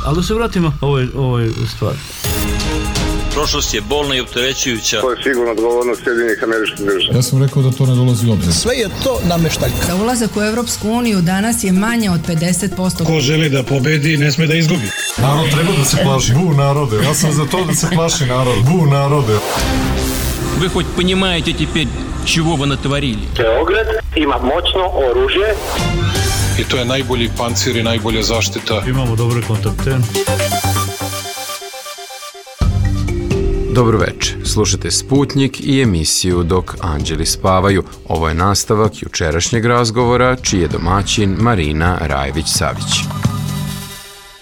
Ali da se vratimo ovoj stvari. Prošlost je bolna i opterećujuća. To je sigurno odgovornost Sjedinjenih Američkih Država. Ja sam rekao da to ne dolazi u obzir. Sve je to nameštaljka. Za ulazak u Evropsku uniju danas je manje od 50%. Ko želi da pobedi, ne sme da izgubi. Narod treba da se plaši. Bu narode. Ja sam za to da se plaši narod. Bu narode. Вы хоть понимаете теперь, чего вы натворили? Beograd ima moćno oružje. I to je najbolji pancir i najbolja zaštita. Imamo dobre kontakte. Dobro večer, slušate Sputnjik i emisiju Dok anđeli spavaju. Ovo je nastavak jučerašnjeg razgovora, čiji je domaćin Marina Rajević-Savić.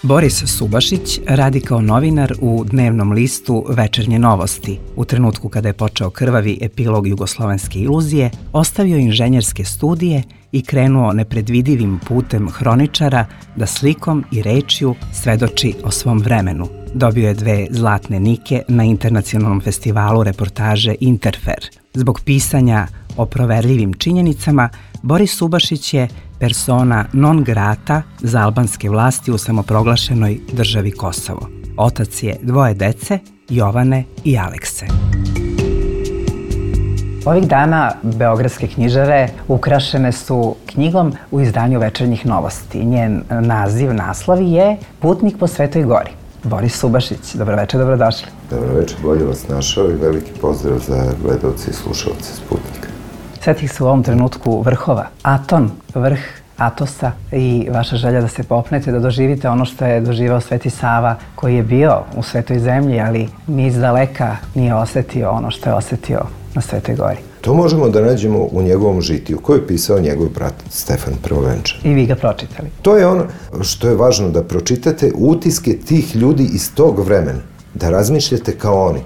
Boris Subašić radi kao novinar u dnevnom listu Večernje novosti. U trenutku kada je počeo krvavi epilog jugoslovenske iluzije, ostavio inženjerske studije i krenuo nepredvidivim putem hroničara da slikom i rečju svedoči o svom vremenu. Dobio je 2 zlatne Nike na internacionalnom festivalu reportaže Interfer. Zbog pisanja o proverljivim činjenicama, Boris Subašić je persona non grata za albanske vlasti u samoproglašenoj državi Kosovo. Otac je 2 dece, Jovane i Alekse. Ovih dana beogradske knjižare ukrašene su knjigom u izdanju Večernjih novosti. Njen naslov je Putnik po Svetoj gori. Boris Subašić, dobroveče, dobrodošli. Dobroveče, bolje vas našao i veliki pozdrav za gledalce i slušalce Sputnika. Svetih su u ovom trenutku vrhova. Aton, vrh Atosa i vaša želja da se popnete, da doživite ono što je doživao Sveti Sava, koji je bio u Svetoj zemlji, ali ni izdaleka nije osetio ono što je osetio na Svetoj gori. To možemo da nađemo u njegovom žitiju, koji je pisao njegov brat Stefan Prvovenčan. I vi ga pročitali. To je ono što je važno, da pročitate utiske tih ljudi iz tog vremena, da razmišljate kao oni.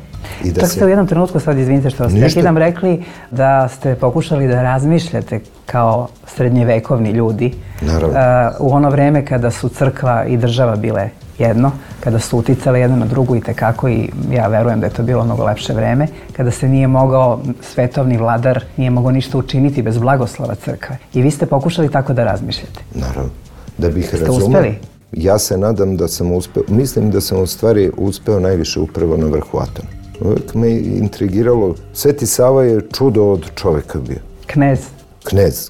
Čak ste u jednom trenutku, sad izvinite što vas prekidam, rekli da ste pokušali da razmišljate kao srednjevekovni ljudi. Naravno. U ono vreme kada su crkva i država bile jedno, kada su uticale jedno na drugu i tekako, i ja verujem da je to bilo mnogo lepše vreme, kada se nije mogao, svetovni vladar nije mogao ništa učiniti bez blagoslova crkve. I vi ste pokušali tako da razmišljate. Naravno. Da bih razumeo. Ste uspeli? Ja se nadam da sam uspeo, mislim da sam u stvari uspeo najviše upravo na vrhu Atona. Uvijek me intrigiralo, Sveti Sava je čudo od čoveka bio.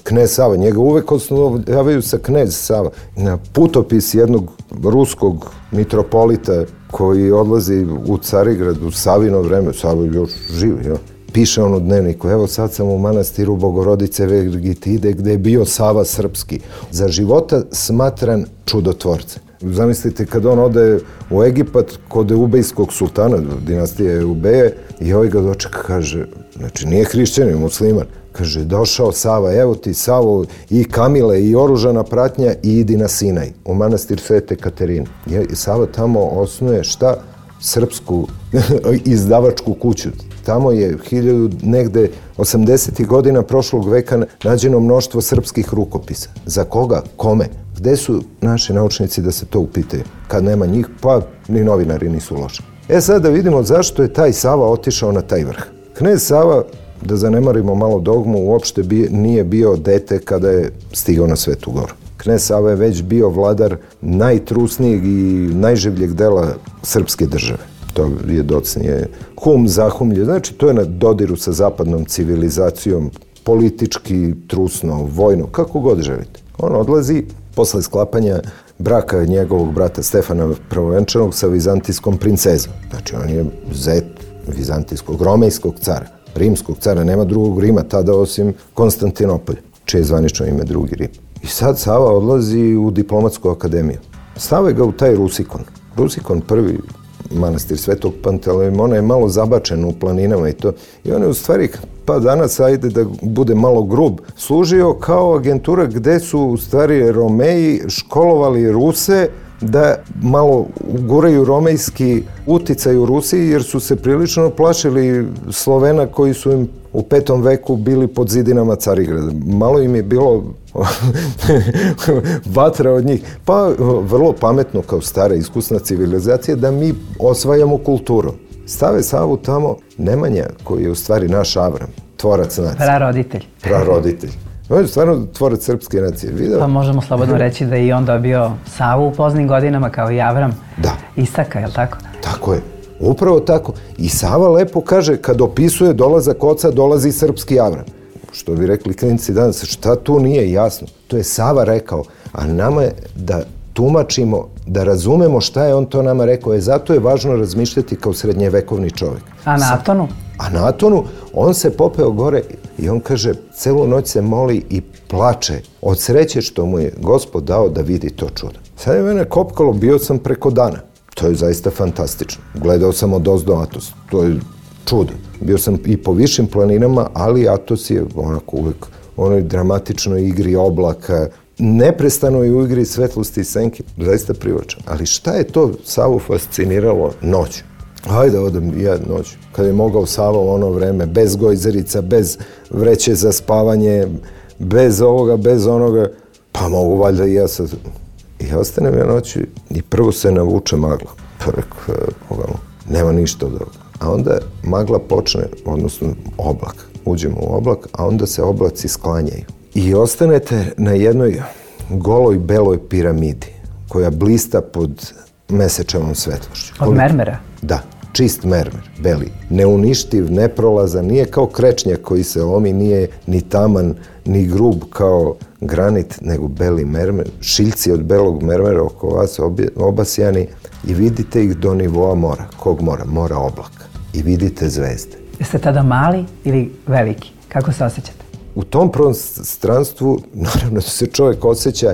Knez Sava, njega uvek osnovljavaju sa knez Sava. Na putopis jednog ruskog mitropolita koji odlazi u Carigrad u Savino vreme, Sava je još živ, piše on u dnevniku, evo sad sam u manastiru Bogorodice Vergitide gde je bio Sava Srpski. Za života smatran čudotvorcem. Zamislite kad on ode u Egipat kod Eubejskog sultana, dinastije Eubeje, i ovaj ga dočeka, kaže, znači nije hrišćanin, musliman, kaže, došao Sava, evo ti Savo i Kamile i oružana pratnja i idi na Sinaj, u manastir Svete Katarine. I Sava tamo osnuje šta? Srpsku izdavačku kuću. Tamo je 80. godina prošlog veka nađeno mnoštvo srpskih rukopisa. Za koga? Kome? Gde su naši naučnici da se to upitaju? Kad nema njih, pa ni novinari nisu loši. Sad da vidimo zašto je taj Sava otišao na taj vrh. Knez Sava, da zanemarimo malo dogmu, uopšte nije bio dete kada je stigao na Svetu goru. Knez Sava je već bio vladar najtrusnijeg i najživljeg dela srpske države. To je docnije zahumlje, znači to je na dodiru sa zapadnom civilizacijom, politički, trusno, vojno, kako god želite. On odlazi posle sklapanja braka njegovog brata Stefana Prvovenčanog sa vizantijskom princezom. Znači on je zet vizantijskog, romejskog cara, rimskog cara, nema drugog Rima tada osim Konstantinopolja, čije je zvanično ime drugi Rim. I sad Sava odlazi u diplomatsku akademiju. Stave ga u taj Rusikon. Rusikon, prvi manastir Svetog Panteleimona, je malo zabačen u planinama i to. I on je u stvari, pa danas, ajde da bude malo grub, služio kao agentura gde su u stvari Romeji školovali Ruse da malo uguraju romejski uticaj u Rusiji, jer su se prilično plašili Slovena koji su im u 5. veku bili pod zidinama Carigrada. Malo im je bilo vatra od njih. Pa vrlo pametno kao stara iskusna civilizacija da mi osvajamo kulturu. Stave Savu tamo Nemanja, koji je u stvari naš Avram, tvorac nacije. Praroditelj. On je stvarno tvorac srpske nacije. Video? Pa možemo slobodno reći da je i on dobio Savu u poznim godinama kao i Avram. Da. Isaka, je li tako? Tako je. Upravo tako. I Sava lepo kaže, kad opisuje dolazak oca, dolazi srpski Avram. Što bi rekli klinci danas, šta tu nije jasno? To je Sava rekao, a nama je da tumačimo, da razumemo šta je on to nama rekao. Zato je važno razmišljati kao srednjevekovni čovjek. A na Atonu? A na Atonu on se popeo gore i on kaže, celu noć se moli i plače od sreće što mu je Gospod dao da vidi to čudo. Sad je mene kopkalo, bio sam preko dana. To je zaista fantastično. Gledao sam odozdo Atos. To je čudo. Bio sam i po višim planinama, ali Atos je onako uvek u onoj dramatičnoj igri oblaka, neprestano je u igri svetlosti i senke, zaista privlačan. Ali šta je to Savu fasciniralo noću? Hajde odem ja noću. Kad je mogao Sava u ono vreme, bez gojzerica, bez vreće za spavanje, bez ovoga, bez onoga, pa mogu valjda i ja sad. I ostanem ja noću i prvo se navuče magla. Pa rekao, nema ništa od ovoga. A onda magla počne, odnosno oblak. Uđemo u oblak, a onda se oblaci sklanjaju. I ostanete na jednoj goloj beloj piramidi koja blista pod mesečevom svetlošću. Od mermera? Da, čist mermer, beli. Neuništiv, neprolazan, nije kao krečnjak koji se lomi, nije ni taman, ni grub kao granit, nego beli mermer. Šiljci od belog mermera oko vas obasjani i vidite ih do nivoa mora. Kog mora? Mora oblaka. I vidite zvezde. Jeste tada mali ili veliki? Kako se osjećate? U tom prostranstvu, naravno da se čovjek osjeća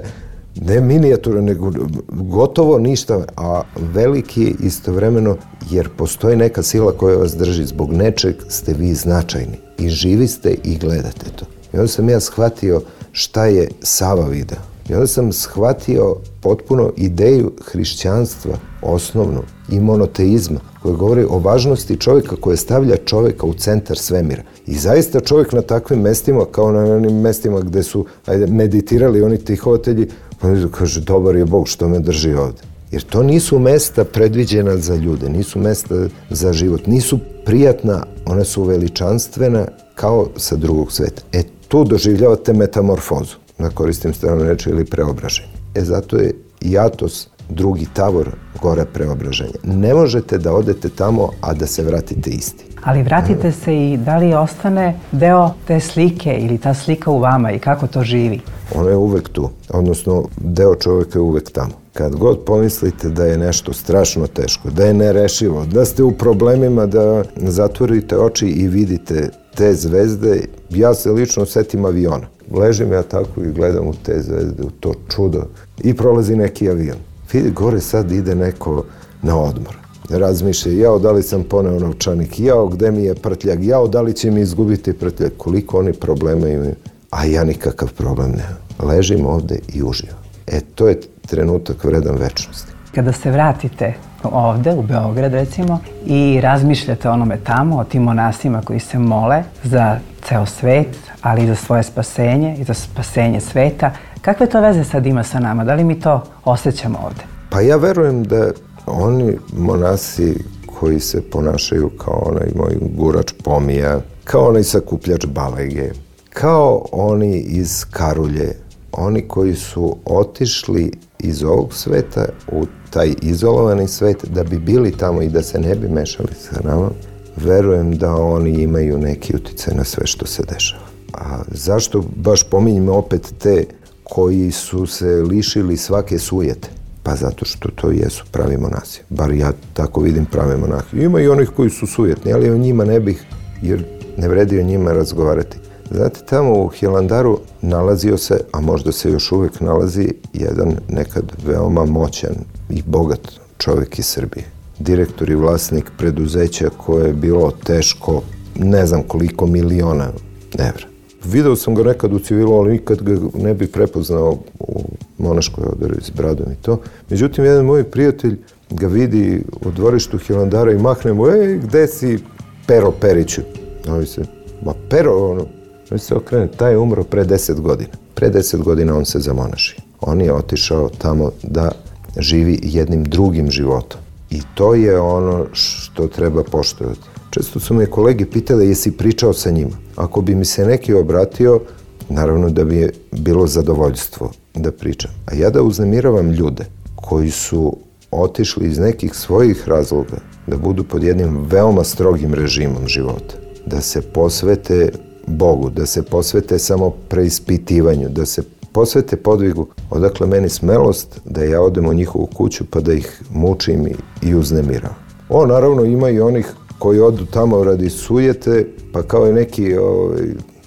ne minijatura, nego gotovo ništa, a veliki je istovremeno, jer postoji neka sila koja vas drži. Zbog nečeg ste vi značajni i živi ste i gledate to. I onda sam ja shvatio šta je Sava video. I onda sam shvatio potpuno ideju hrišćanstva, osnovnu, i monoteizma, koja govori o važnosti čovjeka, koja stavlja čovjeka u centar svemira. I zaista čovjek na takvim mestima, kao na onim mestima gde su meditirali oni tihovatelji, pa kaže, dobar je Bog što me drži ovde. Jer to nisu mesta predviđena za ljude, nisu mesta za život, nisu prijatna, ona su veličanstvena kao sa drugog sveta. Tu doživljavate metamorfozu, da koristim stranu reči, ili preobraženje. Zato je i Atos drugi tavor gore preobraženja. Ne možete da odete tamo, a da se vratite isti. Ali vratite se i da li ostane deo te slike ili ta slika u vama i kako to živi? Ono je uvek tu, odnosno deo čovjeka je uvek tamo. Kad god pomislite da je nešto strašno teško, da je nerešivo, da ste u problemima, da zatvorite oči i vidite te zvezde, ja se lično setim aviona. Ležim ja tako i gledam u te zvezde, u to čudo i prolazi neki avion. Vidi, gore sad ide neko na odmor. Razmišlja, jao, da li sam poneo novčanik, jao, gde mi je prtljak, jao, da li će mi izgubiti prtljak, koliko oni problema imaju, a ja nikakav problem nemam. Ležim ovde i uživam. To je trenutak vredan večnosti. Kada se vratite ovde, u Beograd recimo, i razmišljate o onome tamo, o tim monasima koji se mole za ceo svet, ali i za svoje spasenje i za spasenje sveta, kakve to veze sad ima sa nama? Da li mi to osjećamo ovde? Pa ja verujem da oni monasi koji se ponašaju kao onaj moj gurač pomija, kao onaj sakupljač balege, kao oni iz Karulje, oni koji su otišli iz ovog sveta u taj izolovani svet da bi bili tamo i da se ne bi mešali sa nama, verujem da oni imaju neki uticaj na sve što se dešava. A zašto baš pominjemo opet te koji su se lišili svake sujete? Pa zato što to jesu pravi monasi. Bar ja tako vidim prave monahe. Ima i onih koji su sujetni, ali o njima ne bih, jer ne vredi o njima razgovarati. Znate, tamo u Hilandaru nalazio se, a možda se još uvek nalazi, jedan nekad veoma moćan i bogat čovjek iz Srbije. Direktor i vlasnik preduzeća koje je bilo teško ne znam koliko miliona evra. Video sam ga nekad u civilu, ali nikad ga ne bih prepoznao u monaškoj odori s bradom i to. Međutim, jedan moj prijatelj ga vidi u dvorištu Hilandara i mahne mu, gde si Pero Periću? Ovi se, Pero, on se okrene, taj je umro pre 10 godina. Pre 10 godina on se zamonaši. On je otišao tamo da živi jednim drugim životom. I to je ono što treba poštovati. Često su me kolege pitali jesi pričao sa njima. Ako bi mi se neki obratio, naravno da bi je bilo zadovoljstvo da pričam. A ja da uznemiravam ljude koji su otišli iz nekih svojih razloga da budu pod jednim veoma strogim režimom života, da se posvete Bogu, da se posvete samo preispitivanju, da se posvete podvigu, odakle meni smelost da ja odem u njihovu kuću pa da ih mučim i uznemiravam. Naravno ima i onih koji odu tamo radi sujete, pa kao i neki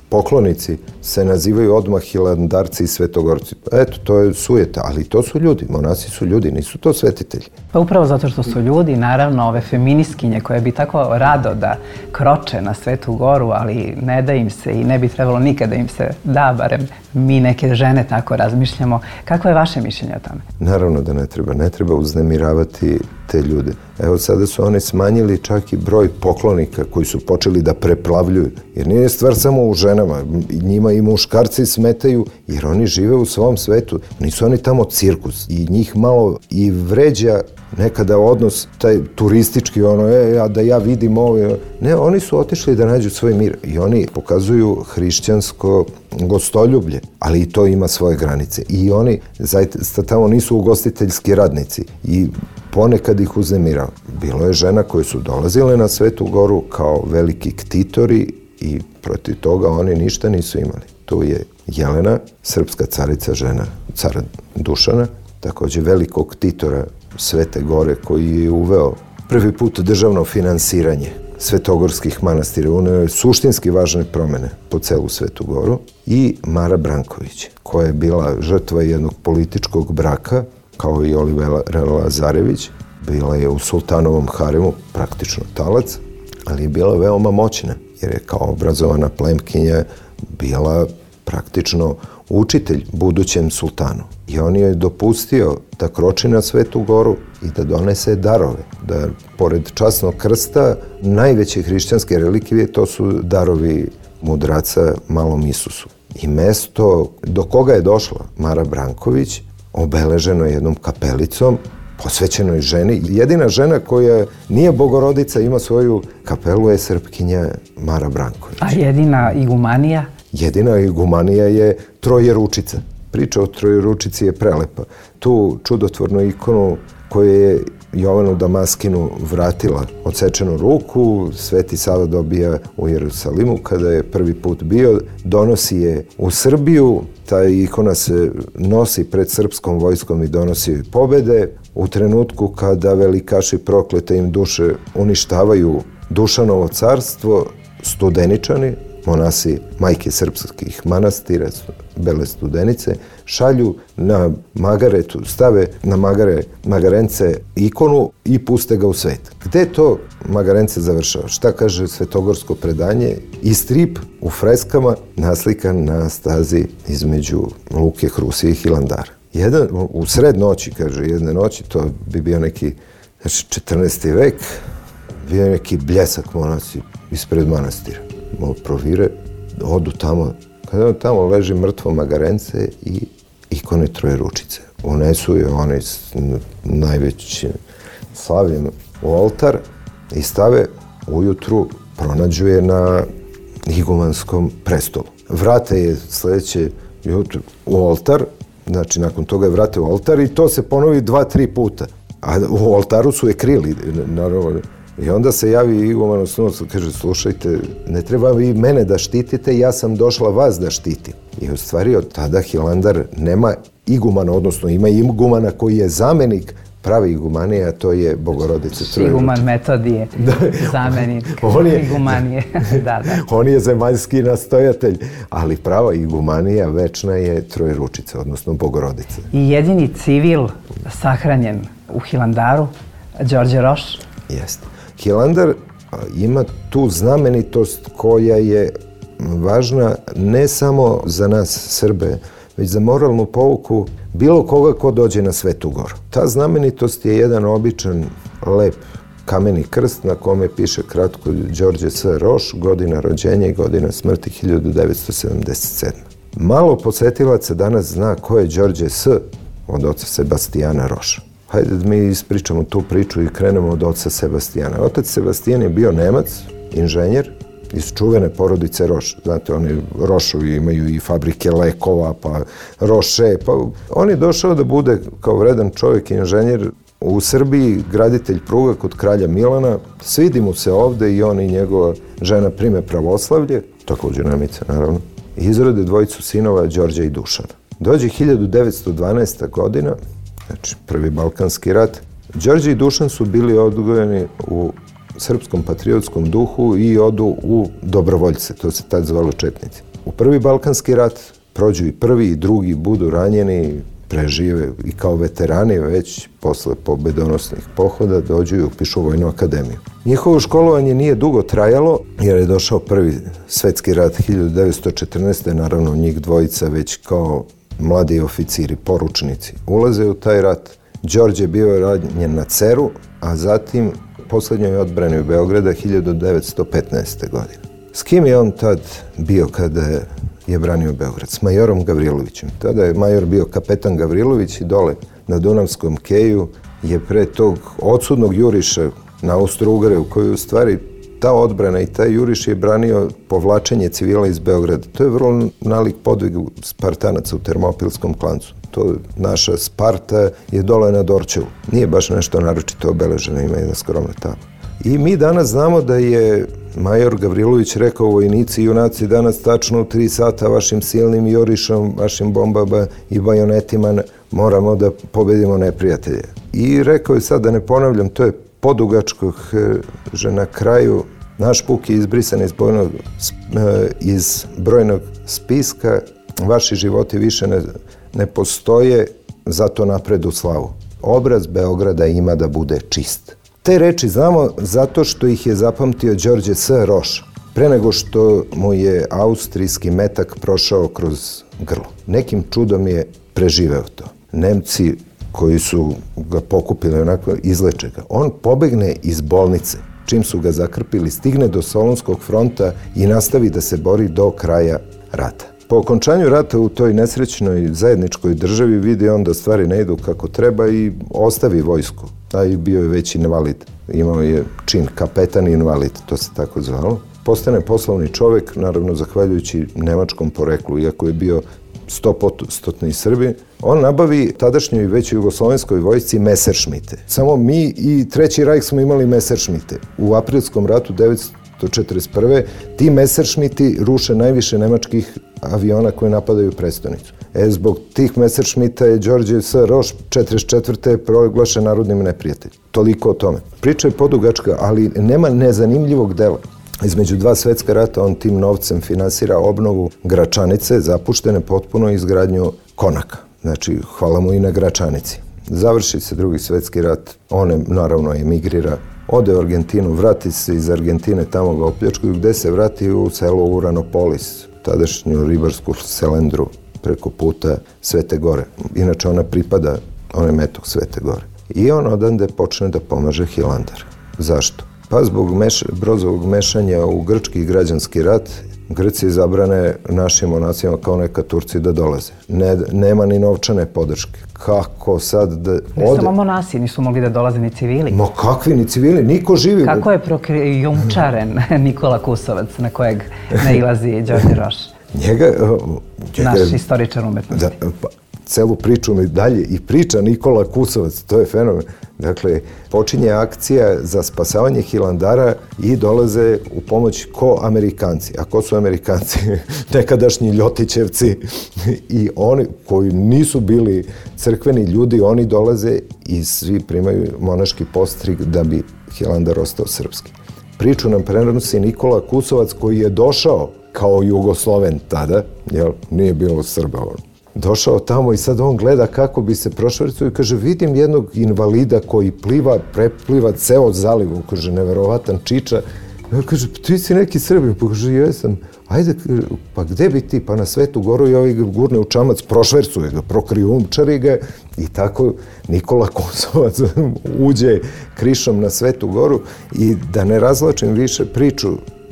poklonici se nazivaju odmah hilandarci i svetogorci. Eto, to je sujeta, ali to su ljudi, monasi su ljudi, nisu to svetitelji. Pa upravo zato što su ljudi, naravno, ove feminiskinje koje bi tako rado da kroče na Svetu Goru, ali ne da im se i ne bi trebalo nikada im se da, barem mi neke žene tako razmišljamo. Kakvo je vaše mišljenje o tome? Naravno da ne treba uznemiravati te ljude. Evo sada su oni smanjili čak i broj poklonika koji su počeli da preplavljuju. Jer nije stvar samo u ženama, njima i muškarci smetaju jer oni žive u svom svetu. Nisu oni tamo cirkus i njih malo i vređa nekada odnos, taj turistički, da ja vidim ovo. Ne, oni su otišli da nađu svoj mir i oni pokazuju hrišćansko gostoljublje, ali i to ima svoje granice. I oni zaista tamo nisu ugostiteljski radnici i ponekad ih uznemirao. Bilo je žena koje su dolazile na Svetu Goru kao veliki ktitori i protiv toga oni ništa nisu imali. Tu je Jelena, srpska carica, žena cara Dušana, takođe velikog ktitora Svete Gore koji je uveo prvi put državno finansiranje svetogorskih manastira, uneo je suštinski važne promene po celu Svetu Goru, i Mara Branković, koja je bila žrtva jednog političkog braka, kao i Olivera Lazarević. Bila je u sultanovom haremu, praktično talac, ali je bila veoma moćna, jer je kao obrazovana plemkinja bila praktično učitelj budućem sultanu. I on je dopustio da kroči na Svetu Goru i da donese darove. Da, pored časnog krsta, najveće hrišćanske relikvije to su darovi mudraca Malom Isusu. I mesto do koga je došla Mara Branković obeleženo je jednom kapelicom posvećenoj ženi. Jedina žena koja nije bogorodica, ima svoju kapelu, je Srpkinja Mara Branković. A jedina igumanija? Jedina igumanija je Trojeručica. Priča o Trojeručici je prelepa. Tu čudotvornu ikonu koju je Jovanu Damaskinu vratila odsečenu ruku, Sveti Sava dobija u Jerusalimu kada je prvi put bio, donosi je u Srbiju, ta ikona se nosi pred srpskom vojskom i donosi joj pobede. U trenutku kada velikaši proklete im duše uništavaju Dušanovo carstvo, Studeničani, monasi majke srpskih manastira, Bele Studenice, šalju na magaretu, stave na magarence ikonu i puste ga u svet. Gde to magarence završava? Šta kaže svetogorsko predanje? I strip u freskama naslikan na stazi između Luke, Hrusije i Hilandara. U sred noći, kaže, jedne noći, to bi bio neki 14. vek, bio neki bljesak monasi ispred manastira. Malo provire, odu tamo, kada tamo leži mrtvo magarence i ikone Trojeručice. Unesu je one s najvećim slavljem u oltar i stave ujutru, pronađu je na igumanskom prestolu. Vrate je sledeće jutro u oltar, znači nakon toga je vrate u oltar i to se ponovi 2-3 puta. A u oltaru su je krili, naravno. I onda se javi iguman osnovac, kaže, slušajte, ne treba vi mene da štitite, ja sam došla vas da štitim. I u stvari od tada Hilandar nema igumana, odnosno ima igumana koji je zamenik prave igumanije, a to je Bogorodica Trojeručica. Iguman Metodije, zamenik igumanije. Da. On je zemaljski nastojatelj, ali prava igumanija večna je Trojeručica, odnosno Bogorodica. I jedini civil sahranjen u Hilandaru, Đorđe Roš? Jeste. Hilandar ima tu znamenitost koja je važna ne samo za nas Srbe, već za moralnu pouku bilo koga ko dođe na Svetu Goru. Ta znamenitost je jedan običan, lep kameni krst na kome piše kratko Đorđe S. Roš, godina rođenja i godina smrti 1977. Malo posetilaca danas zna ko je Đorđe S. od oca Sebastijana Roša. Hajde da mi ispričamo tu priču i krenemo od oca Sebastijana. Otac Sebastijan je bio Nemac, inženjer, iz čuvene porodice Roš. Znate, oni Rošovi imaju i fabrike lekova, pa Roše, pa on je došao da bude kao vredan čovjek, inženjer u Srbiji, graditelj pruga kod kralja Milana. Svidi mu se ovde i on i njegova žena prime pravoslavlje, također Nemica naravno, i izrode dvojicu sinova Đorđa i Dušana. Dođe 1912. godina, znači prvi Balkanski rat. Đorđe i Dušan su bili odgojeni u srpskom patriotskom duhu i odu u dobrovoljce, to se tad zvalo četnici. U prvi Balkanski rat prođu i prvi i drugi, budu ranjeni, prežive i kao veterani već posle pobedonosnih pohoda dođu i upišu Vojnu akademiju. Njihovo školovanje nije dugo trajalo jer je došao prvi svetski rat 1914. Naravno njih dvojica već kao mladi oficiri, poručnici, ulaze u taj rat. Đorđe bio ranjen na Ceru, a zatim posljednjoj odbrani u Beograda 1915. godine. S kim je on tad bio kada je branio Beograd? S majorom Gavrilovićem. Tada je major bio kapetan Gavrilović i dole na Dunavskom keju je pre tog odsudnog juriša na Austro-Ugare u kojoj u stvari ta odbrana i taj juriš je branio povlačenje civila iz Beograda. To je vrlo nalik podvigu Spartanaca u Termopilskom klancu. To naša Sparta je dole na Dorćevu. Nije baš nešto naročito obeleženo, ima jedna skromna tabla. I mi danas znamo da je major Gavrilović rekao vojnici i junaci danas tačno u 3 sata vašim silnim jurišom, vašim bombama i bajonetima moramo da pobedimo neprijatelje. I rekao je sad da ne ponavljam, to je podugačko, že na kraju naš puk je izbrisan iz brojnog spiska, vaši životi više ne postoje, zato napred u slavu. Obraz Beograda ima da bude čist. Te reči znamo zato što ih je zapamtio Đorđe S. Roš, pre nego što mu je austrijski metak prošao kroz grlo. Nekim čudom je preživeo to. Nemci koji su ga pokupili onako, izleče ga. On pobegne iz bolnice, čim su ga zakrpili, stigne do Solunskog fronta i nastavi da se bori do kraja rata. Po okončanju rata u toj nesrećnoj zajedničkoj državi vidi on da stvari ne idu kako treba i ostavi vojsku. A i bio je već invalid. Imao je čin kapetan invalid, to se tako zvalo. Postane poslovni čovjek, naravno zahvaljujući nemačkom poreklu, iako je bio 100% Srbi. On nabavi tadašnjoj već jugoslovenskoj vojsci Messerschmitte. Samo mi i Treći Rajh smo imali Messerschmitte. U aprilskom ratu 1941. ti Messerschmitti ruše najviše nemačkih aviona koji napadaju prestonicu. Zbog tih Messerschmitta je Đorđe S. Roš 1944. proglašen narodnim neprijateljem. Toliko o tome. Priča je podugačka, ali nema nezanimljivog dela. Između 2 svetska rata on tim novcem finansira obnovu Gračanice, zapuštene potpuno izgradnju konaka. Znači, hvala mu i na Gračanici. Završi se 2. svetski rat, on naravno emigrira, ode u Argentinu, vrati se iz Argentine, tamo ga opljačkuju, gde se vrati u selo Uranopolis, tadašnju ribarsku selendru preko puta Svete Gore. Inače ona pripada, on je metok Svete Gore. I on odande počne da pomaže Hilandar. Zašto? Pa zbog Brozovog mešanja u grčki građanski rat, Grci zabrane našim monacima kao neka Turci da dolaze. Nema ni novčane podrške. Kako sad da ode? Ne samo monasi, nisu mogli da dolaze ni civili. Ma kakvi ni civili, niko živi. Kako je prokrijumčaren Nikola Kusovac na kojeg nailazi Đorđe Roš? Naš istoričar umetnosti. Celu priču mi dalje i priča Nikola Kusovac, to je fenomen. Dakle, počinje akcija za spasavanje Hilandara i dolaze u pomoć ko Amerikanci. A ko su Amerikanci? Nekadašnji Ljotićevci i oni koji nisu bili crkveni ljudi, oni dolaze i svi primaju monaški postrig da bi Hilandar ostao srpski. Priču nam prenosi Nikola Kusovac koji je došao kao Jugosloven tada, jer nije bilo Srba on. Došao tamo i sad on gleda kako bi se prošvercao i kaže, vidim jednog invalida koji prepliva ceo zaliv, kaže, neverovatan čiča. I kaže, ti si neki Srbin, pa kaže, jesam. Ajde, pa gde bi ti? Pa na Svetu Goru i ovaj gurne u čamac, prošvercuje ga, prokrijumčari ga i tako Nikola Kusovac uđe krišom na Svetu Goru i da ne razlačim više priču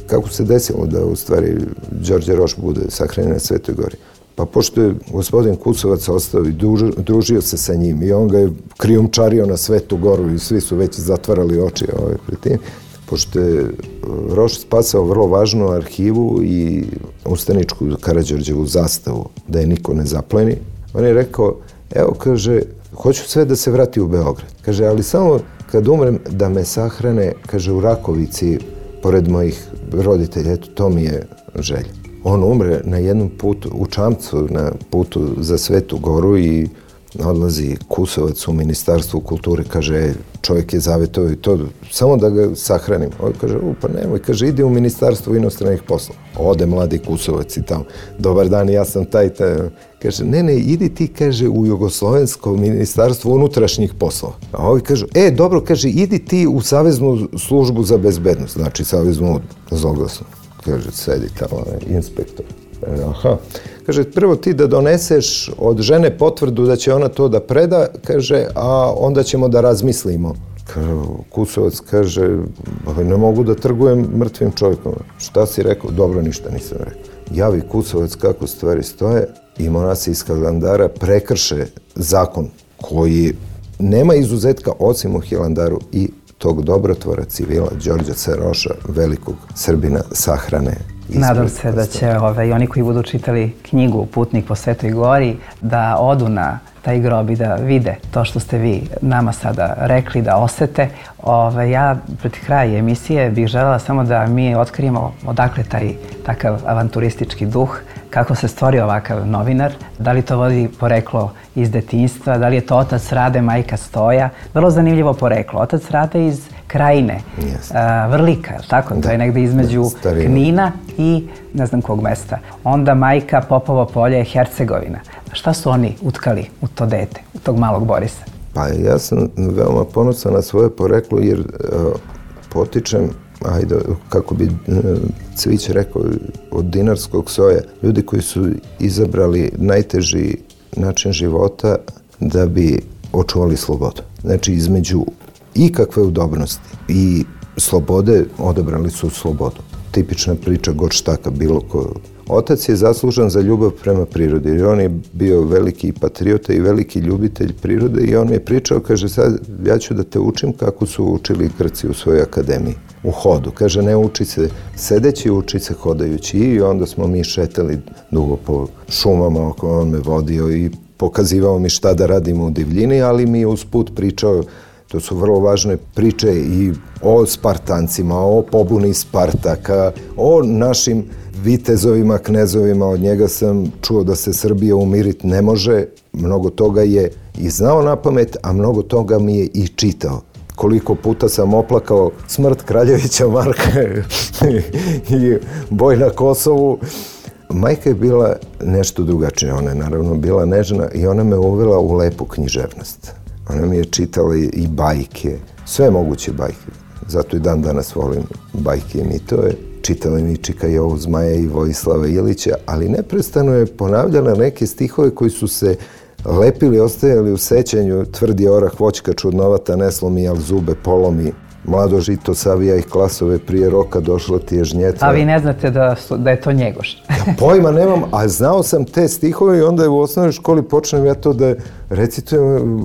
kako se desilo da u stvari Đorđe Roš bude sahranjen na Svetoj Gori. Pa pošto je gospodin Kusovac ostao i družio se sa njim i on ga je krijumčario na Svetu Goru i svi su već zatvarali oči pred tim, pošto je Roš spasao vrlo važnu arhivu i ustaničku Karađorđevu zastavu, da je niko ne zapleni, on je rekao, evo, kaže, hoću sve da se vrati u Beograd. Kaže, ali samo kad umrem da me sahrane, kaže, u Rakovici, pored mojih roditelja, eto, to mi je želja. On umre na jednom putu, u Čamcu, na putu za Svetu Goru i odlazi Kusovac u Ministarstvu kulture, kaže, čovjek je zavetovao i to, samo da ga sahranim. On kaže, pa nemoj, kaže, ide u Ministarstvo inostranih poslova. Ode mladi Kusovac i tamo, dobar dan, ja sam taj. Kaže, ne, idi ti, kaže, u Jugoslovensko ministarstvo unutrašnjih poslova. A ovi kažu, dobro, kaže, idi ti u Saveznu službu za bezbednost, znači Saveznu zloglasnu. Kaže, sedi tamo, inspektor. Aha. Kaže, prvo ti da doneseš od žene potvrdu da će ona to da preda, kaže, a onda ćemo da razmislimo. Kaže, Kusovac kaže, ne mogu da trgujem mrtvim čovjekom. Šta si rekao? Dobro, ništa nisam rekao. Javi Kusovac kako stvari stoje i monasi iz Hilandara prekrše zakon koji nema izuzetka osim u Hilandaru i tog dobrotvora civila Đorđa C. Roša, velikog Srbina, sahrane. Nadam se da će i oni koji budu čitali knjigu Putnik po Svetoj Gori da odu na taj grob i da vide to što ste vi nama sada rekli, da osete. Ja pred kraj emisije bih želela samo da mi otkrijemo odakle taj takav avanturistički duh, kako se stvorio ovakav novinar, da li to vodi poreklo iz detinjstva, da li je to otac Rade, majka Stoja. Vrlo zanimljivo poreklo. Otac Rade iz Krajine, Vrlika, tako? To je negde između Knina i ne znam kog mesta. Onda majka Popovo polje, Hercegovina. Šta su oni utkali u to dete, u tog malog Borisa? Pa ja sam veoma ponosan na svoje poreklo jer potičem, kako bi Cvić rekao, od dinarskog soja. Ljudi koji su izabrali najteži način života da bi očuvali slobodu. Znači, između ikakve udobnosti i slobode odabrali su slobodu. Tipična priča Gottštaka, bilo ko. Otac je zaslužan za ljubav prema prirodi, jer on je bio veliki patriota i veliki ljubitelj prirode i on mi je pričao, kaže, sad ja ću da te učim kako su učili Grci u svojoj akademiji, u hodu. Kaže, ne uči se sedeći, uči se hodajući. I onda smo mi šetali dugo po šumama, on me vodio i pokazivao mi šta da radimo u divljini, ali mi je usput pričao, to su vrlo važne priče i o Spartancima, o pobuni Spartaka, o našim vitezovima, knezovima. Od njega sam čuo da se Srbija umiriti ne može. Mnogo toga je i znao na pamet, a mnogo toga mi je i čitao. Koliko puta sam oplakao smrt Kraljevića Marka i boj na Kosovu. Majka je bila nešto drugačija. Ona je naravno bila nežna i ona me uvela u lepu književnost. Ona mi je čitala i bajke, sve moguće bajke. Zato i dan danas volim bajke i mitove. Čitala mi Čika Jovu Zmaja i Vojislava Ilića, ali neprestano je ponavljala neke stihove koji su se lepili, ostajali u sećanju. Tvrdi orah voćka čudnovata ne slomi, al zube polomi. Mlado žito savija ih klasove, prije roka došla ti je žnjeca. A vi ne znate da je to Njegoš? Ja pojma nemam, a znao sam te stihove i onda je u osnovnoj školi počnem ja to da recitujem,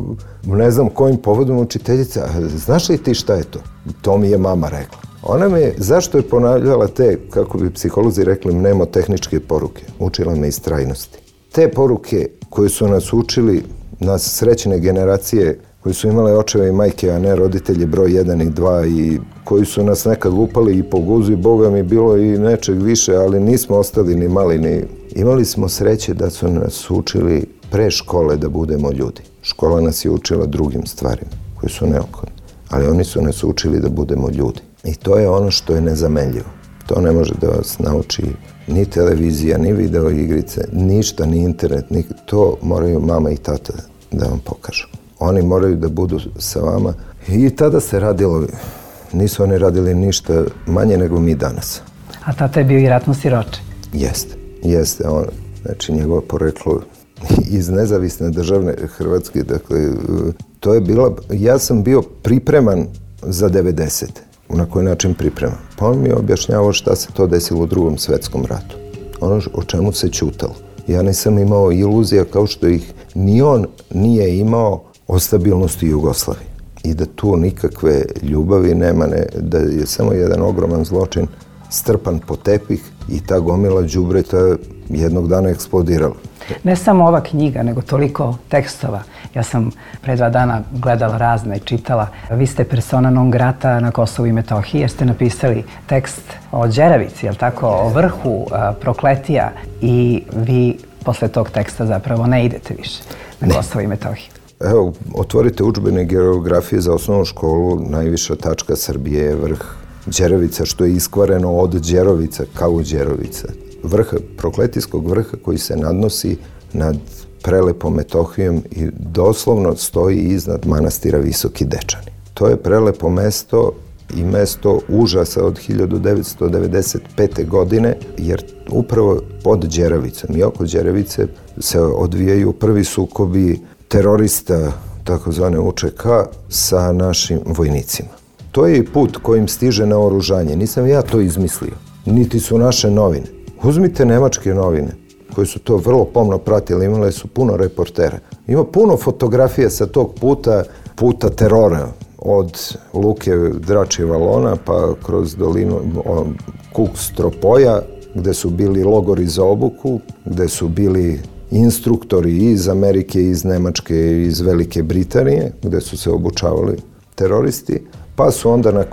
ne znam kojim povodom učiteljica. Znaš li ti šta je to? To mi je mama rekla. Ona me, zašto je ponavljala te, kako bi psiholozi rekli, mnemotehničke poruke? Učila me istrajnosti. Te poruke koje su nas učili, nas srećne generacije, koji su imale očeve i majke, a ne roditelje broj 1 i 2 i koji su nas nekad lupali i po guzu i Boga mi bilo i nečeg više, ali nismo ostali ni mali ni... Imali smo sreće da su nas učili pre škole da budemo ljudi. Škola nas je učila drugim stvarima koji su neophodne, ali oni su nas učili da budemo ljudi. I to je ono što je nezamenljivo. To ne može da vas nauči ni televizija, ni video igrice, ništa, ni internet, to moraju mama i tata da vam pokažu. Oni moraju da budu sa vama i tada se radilo, nisu oni radili ništa manje nego mi danas. A tata je bio i ratno siroče? Jeste. On, znači njegovo poreklo iz nezavisne državne Hrvatske, dakle, to je bila, ja sam bio pripreman za 90. Na koji način pripreman? Pa on mi je objašnjavao šta se to desilo u Drugom svetskom ratu. Ono o čemu se ćutalo. Ja nisam imao iluzija kao što ih ni on nije imao o stabilnosti Jugoslavije. i da tu nikakve ljubavi nema, da je samo jedan ogroman zločin strpan po tepih i ta gomila đubreta jednog dana eksplodirala. Ne samo ova knjiga, nego toliko tekstova. Ja sam pre 2 dana gledala razne i čitala. Vi ste persona non grata na Kosovu i Metohiji jer ste napisali tekst o Đeravici, jel tako, o vrhu Prokletija i vi posle tog teksta zapravo ne idete više na Kosovo i Metohiju. Evo, otvorite udžbenik geografije za osnovnu školu, najviša tačka Srbije je vrh Đeravica, što je iskvareno od Đerovica kao Đerovica. Vrh, prokletijskog vrha koji se nadnosi nad prelepom Metohijom i doslovno stoji iznad manastira Visoki Dečani. To je prelepo mesto i mesto užasa od 1995. godine, jer upravo pod Đeravicom i oko Đeravice se odvijaju prvi sukobi terorista, takozvane UČK, sa našim vojnicima. To je i put kojim stiže naoružanje. Nisam ja to izmislio, niti su naše novine. Uzmite nemačke novine, koje su to vrlo pomno pratili, imale su puno reportera. Ima puno fotografija sa tog puta terora, od luke Dračije Valona pa kroz dolinu Kuk-Stropoja, gde su bili logori za obuku, gde su bili instruktori iz Amerike, iz Nemačke i iz Velike Britanije, gde su se obučavali teroristi, pa su onda na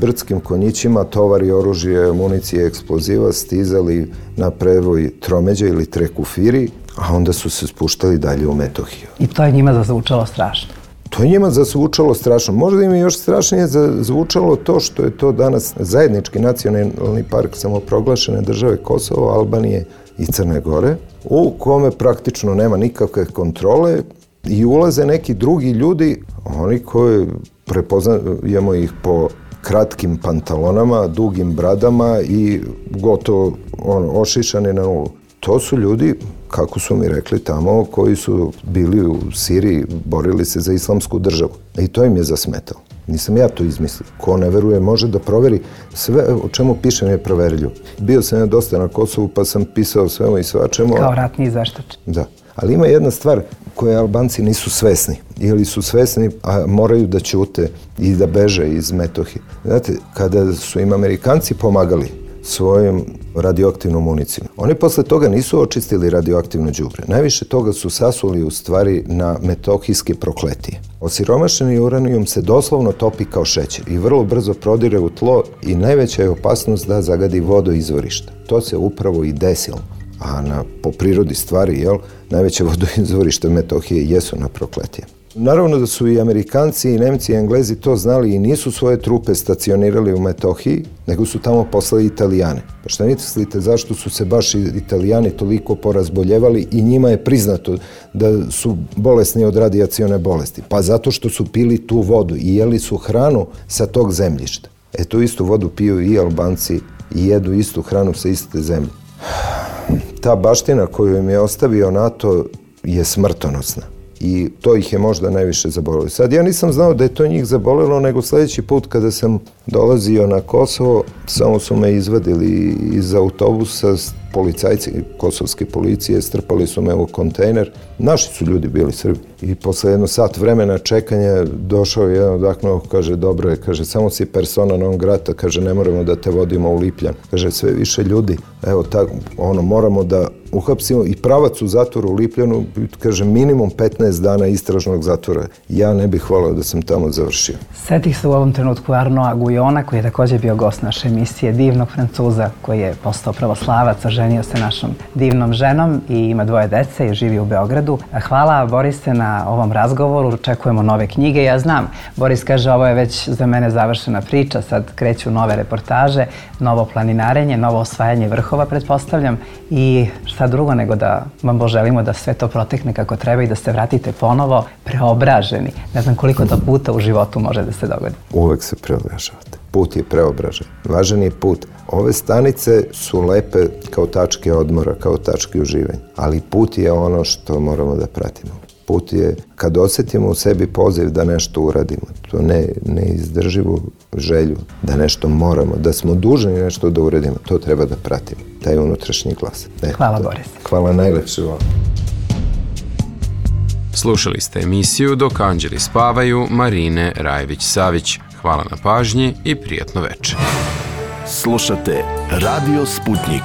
brdskim konjićima tovari oružje, municije, eksploziva stizali na prevoj tromeđa ili trekufiri, a onda su se spuštali dalje u Metohiju. I to je njima zazvučalo strašno. To je njima zazvučalo strašno. Možda im je još strašnije zazvučalo to što je to danas zajednički nacionalni park samoproglašene države Kosovo, Albanije i Crne Gore, u kome praktično nema nikakve kontrole i ulaze neki drugi ljudi, oni koji prepoznajemo ih po kratkim pantalonama, dugim bradama i gotovo ošišani na nulu. To su ljudi, kako su mi rekli tamo, koji su bili u Siriji, borili se za islamsku državu. I to im je zasmetalo. Nisam ja to izmislio. Ko ne veruje može da proveri. Sve o čemu pišem je proveriljivo. Bio sam ja dosta na Kosovu pa sam pisao svemu i svačemu. Kao ratni izveštač. Da. Ali ima jedna stvar koje Albanci nisu svesni. Ili su svesni, a moraju da ćute i da beže iz Metohije. Znate, kada su im Amerikanci pomagali svojom radioaktivnom municijom, oni posle toga nisu očistili radioaktivno đubre. Najviše toga su sasuli u stvari na metohijske Prokletije. Osiromašeni uranijum se doslovno topi kao šećer i vrlo brzo prodire u tlo i najveća je opasnost da zagadi vodoizvorišta. To se upravo i desilo. A po prirodi stvari, najveće vodoizvorište Metohije jesu na Prokletije. Naravno da su i Amerikanci, i Nemci, i Englezi to znali i nisu svoje trupe stacionirali u Metohiji, nego su tamo poslali Italijane. Pa šta mislite zašto su se baš Italijani toliko porazboljevali i njima je priznato da su bolesni od radijacione bolesti? Pa zato što su pili tu vodu i jeli su hranu sa tog zemljišta. Tu istu vodu piju i Albanci i jedu istu hranu sa iste zemlje. Ta baština koju im je ostavio NATO je smrtonosna. I to ih je možda najviše zabolelo. Sad ja nisam znao da je to njih zabolelo, nego sledeći put kada sam dolazio na Kosovo, samo su me izvadili iz autobusa, policajci kosovske policije, strpali su me u kontejner. Naši su ljudi bili Srbi. I posle 1 sat vremena čekanja došao je jedan odakno, kaže, dobro je, kaže, samo si persona non grata, kaže, ne moramo da te vodimo u Lipljan. Kaže, sve više ljudi, evo tako, moramo da uhapsimo i pravac u zatvoru u Lipljanu, kaže, minimum 15 dana istražnog zatvora. Ja ne bih voleo da sam tamo završio. Setih se u ovom trenutku Arnoa Gujona, koji je također bio gost naše emisije, divnog Francuza koji je postao pravoslavac, oženio se našom divnom ženom i ima 2 dece i živi u Beogradu. Hvala, Borise, na ovom razgovoru. Očekujemo nove knjige. Ja znam, Boris kaže, ovo je već za mene završena priča, sad kreću nove reportaže, novo planinarenje, novo osvajanje vrhova, pretpostavljam, i šta drugo nego da vam poželimo da sve to protekne kako treba i da se vratite ponovo preobraženi. Ne znam koliko to puta u životu može da se dogodi. Uvek se preobražavate. Put je preobražen. Važan je put. Ove stanice su lepe kao tačke odmora, kao tačke uživanja. Ali put je ono što moramo da pratimo. Put je kad osjetimo u sebi poziv da nešto uradimo. To neizdrživu želju da nešto moramo, da smo dužni nešto da uradimo. To treba da pratimo. Taj unutrašnji glas. Hvala, Boris. Hvala, najlepše vam. Slušali ste emisiju Dok anđeli spavaju Marine Rajević-Savić. Hvala na pažnji i prijatno večer. Slušate Radio Sputnik.